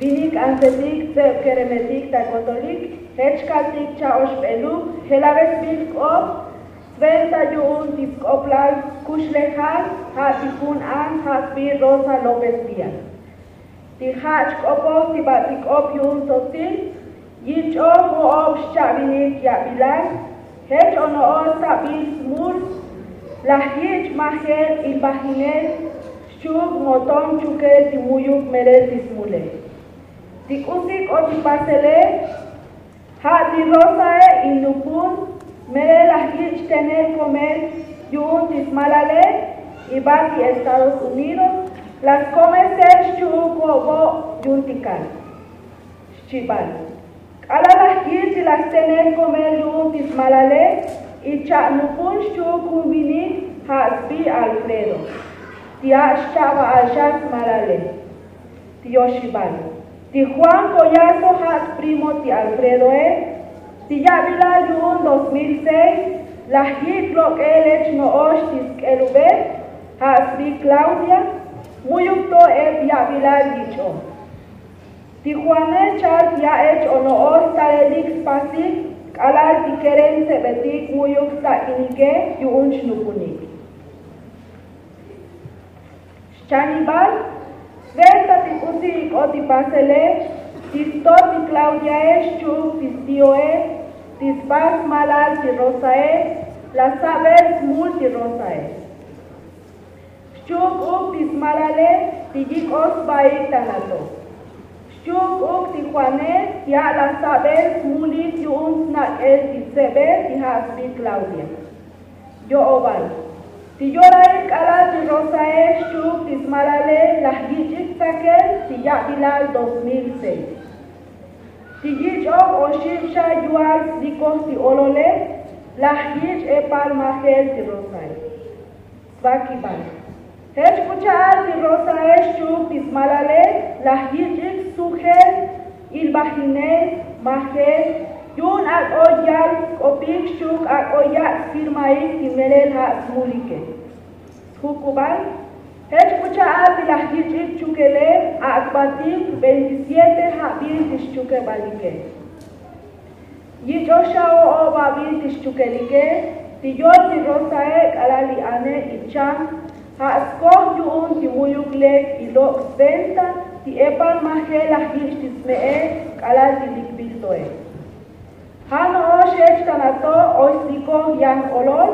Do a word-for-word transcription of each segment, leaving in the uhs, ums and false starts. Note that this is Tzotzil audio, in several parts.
Vinik ansetik tseb keremetik ta kotolik, jech kaltik cha'oxbeluk jelabesbil k'op sventa yu'un ti sk'oplal kuxlejal ja' ti jun an ja' sbi Rosa López Díaz. Ti ja' chk'opoj ti batik k'op yu'un tsotzil yich'oj vo'ob xcha'vinik ya'bilal jech ono'ox sabil smul laj yich' majel ilbajinel xchu'uk moton chukel ti mu'yuk melel ti smulel. Ti k'usi k'o ti pasele ja' ti Rosae in nupun melel laj yich' tenel komel yu'un ti smalale ibat ti Estados Unidos laj skomesel xchu'uk vo'vo'ob yu'un ti kal. Xchibal k'alal laj yich' ti laj stenel komel yu'un ti smalale icha' nupun xchu'uk jun vinik ja' sbi Alfredo. Ti a' xcha'bal xa smalale. Ti yoxibal ti Juan Collazo ja' sprimo ti Alfredoe. Ti ya'bilal yu'un dos mil seis laj yich' lok'el ech no'ox ti sk'elubel ja' sbi Claudia. Mu'yuk to ep ya'bilal yich'oj. Ti Juane chal ti a' ech ono'ox stalelik spasik k'alal ti kerem tsebetik mu'yuk stak'inike yu'un xnupunik. Xchanibal sventa ti k'usi ik'ot ti pasele ti stot ti Claudiae xchu'uk ti stioe ti sba smalal ti Rosae laj sabel smul ti Rosae. Xchu'uk uk ti smalale ti yik'oj sbaik ta nato. Xchu'uk uk ti Juane ti a' laj sabel smulik yu'un snak'el ti tsebe ti ja' sbi Claudia. Yo'obal ti yorail k'alal ti Rosae xchu'uk ti smalale laj yich'ik tsakel ti ya'bilal dos mil seis. Ti yich'oj oxib xa yual slikoj ti olole laj yich' epal majel ti Rosae. Svakibal jech k'u cha'al ti Rosae xchu'uk ti smalale laj yich'ik sujel ilbajinel majel yu'un ak'o yal sk'opik xchu'uk ak'o yak' sfirmaik ti melel ja' smulike. Sjukubal jech k'u cha'al ti laj yich'ik chukele ak'batik veintisiete ja'bil ti xchukebalike. Yich'oj xa o'ob abil ti xchukelike ti yol ti Rosae k'alal li ane icham ja' skoj yu'un ti mu'yuk lek ilok' sventa ti epal majel laj yich' ti sme'e k'alal ti likbil toe. Ja' no'ox jech ta nato oy slikoj yan olol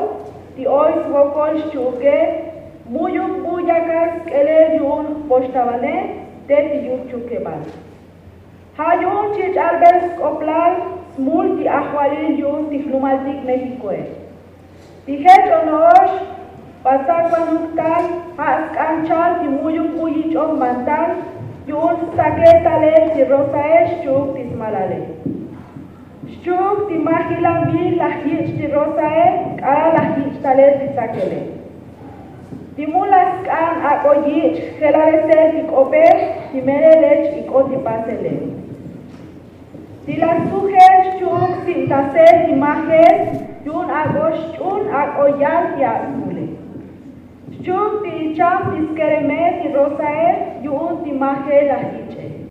ti oy svokol xchu'uke mu'yuk bu yakal sk'elel yu'un jpoxtavane te ti yuk chukebal. Ja' yu'un chich' albel sk'oplal smul ti ajvalil yu'un ti jlumaltik Méxicoe. Ti jech ono'ox batsakvanuk tal ja' sk'an chal ti mu'yuk bu yich'oj mantal yu'un stsakel talel ti Rosae xchu'uk ti smalale. Xchu'uk ti majilanbil laj yich' ti Rosae k'alal laj yich' talel ti tsakele. Ti mu laj sk'an ak'o yich' jelalesel ti k'ope ti melel lech ik'ot ti pasele. Ti laj sujel xchu'uk sibtasel ti majel yu'un ak'o xch'un ak'o yal ti atsmule. Xchu'uk ti icham ti skereme ti Rosae yu'un ti majel laj yich'.